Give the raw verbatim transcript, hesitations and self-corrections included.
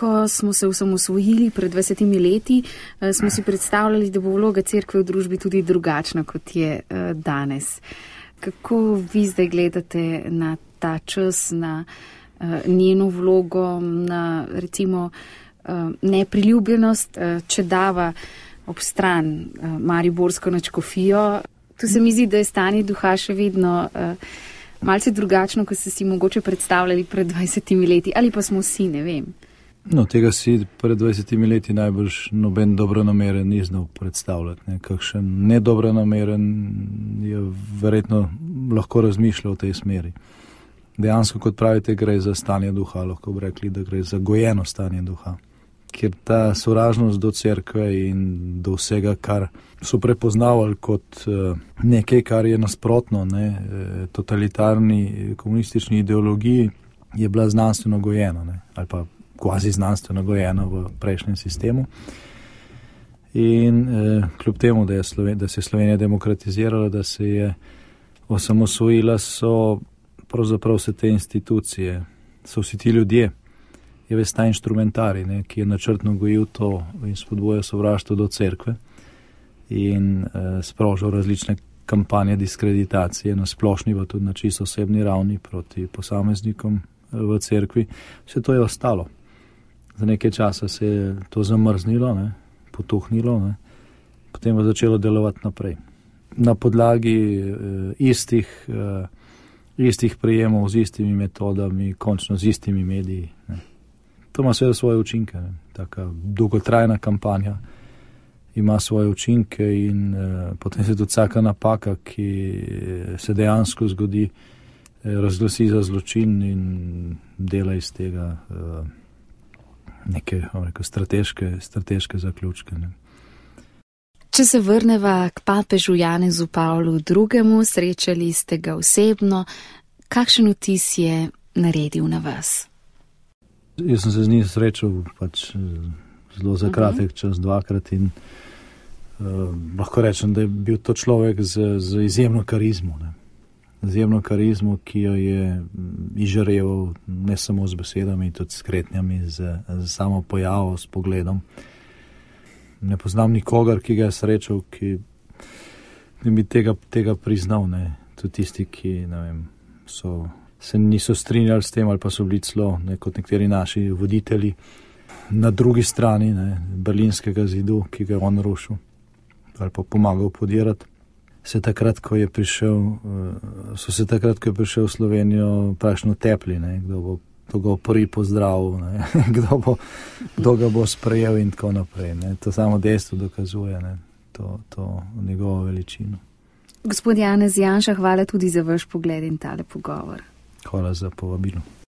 ko smo se osamosvojili pred dvajsetimi leti, smo si predstavljali, da bo vloga cerkve v družbi tudi drugačna, kot je danes. Kako vi zdaj gledate na ta čas, na njeno vlogo, na recimo nepriljubljenost, če dava ob stran mariborsko nadškofijo? Tu se mi zdi, da je stanje duha še vedno malce drugačno, kot ste si mogoče predstavljali pred dvajsetimi leti, ali pa smo vsi, ne vem. No, tega si pred dvajsetimi leti najbrž noben dobronameren ni znal predstavljati. Ne. Kakšen nedobronameren je verjetno lahko razmišljal v tej smeri. Dejansko, kot pravite, gre za stanje duha, lahko bi rekli, da gre za gojeno stanje duha. Ker ta sovražnost do cerkve in do vsega, kar so prepoznavali kot nekaj, kar je nasprotno, ne, totalitarni komunistični ideologiji, je bila znanstveno gojena, ne, ali pa kvazi znanstveno gojena v prejšnjem sistemu. In eh, kljub temu, da, je Sloven, da se je Slovenija demokratizirala, da se je osamosvojila, so pravzaprav vse te institucije, so vsi ti ljudje, je ves ta inštrumentari, ne, ki je načrtno gojil to in spodbojal sovraštvo do cerkve in eh, sprožil različne kampanje diskreditacije na splošni, pa tudi na čisto osebni ravni proti posameznikom v cerkvi. Vse to je ostalo. Za nekaj časa se je to zamrznilo, ne, potuhnilo, ne, potem je začelo delovati naprej. Na podlagi eh, istih, eh, istih prijemov, z istimi metodami, končno z istimi mediji. Ne. To ima seveda svoje učinke. Ne. Taka dolgotrajna kampanja ima svoje učinke in eh, potem se tudi vsaka napaka, ki se dejansko zgodi, eh, razglasi za zločin in dela iz tega eh, neke rekel, strateške, strateške zaključke. Ne. Če se vrneva k papežu Janezu Pavlu drugemu, srečali ste ga osebno, kakšen vtis je naredil na vas? Jaz sem se z njim srečal pač zelo za kratek čas, dvakrat in uh, lahko rečem, da je bil to človek z, z izjemno karizmo. Ne. Izjemno karizmo, ki jo je izžareval ne samo z besedami, tudi s kretnjami, z, z samo pojavo, s pogledom. Ne poznam nikogar, ki ga je srečal, ki bi tega, tega priznal. Ne. Tudi tisti, ki ne vem, so, se niso strinjali s tem ali pa so bili celo, ne, kot nekateri naši voditelji, na drugi strani ne, berlinskega zidu, ki ga je on rušil ali pa pomagal podirati. Se takrat, ko je prišel, so se takrat, ko je prišel v Slovenijo, praktično tepli, ne, kdo bo, kdo bo prvi pozdravil, ne, kdo bo, kdo ga bo sprejel in tako naprej. Ne. To samo dejstvo dokazuje, ne, to, to njegovo veličino. Gospod Janez Janša, hvala tudi za vaš pogled in tale pogovor. Hvala za povabilo.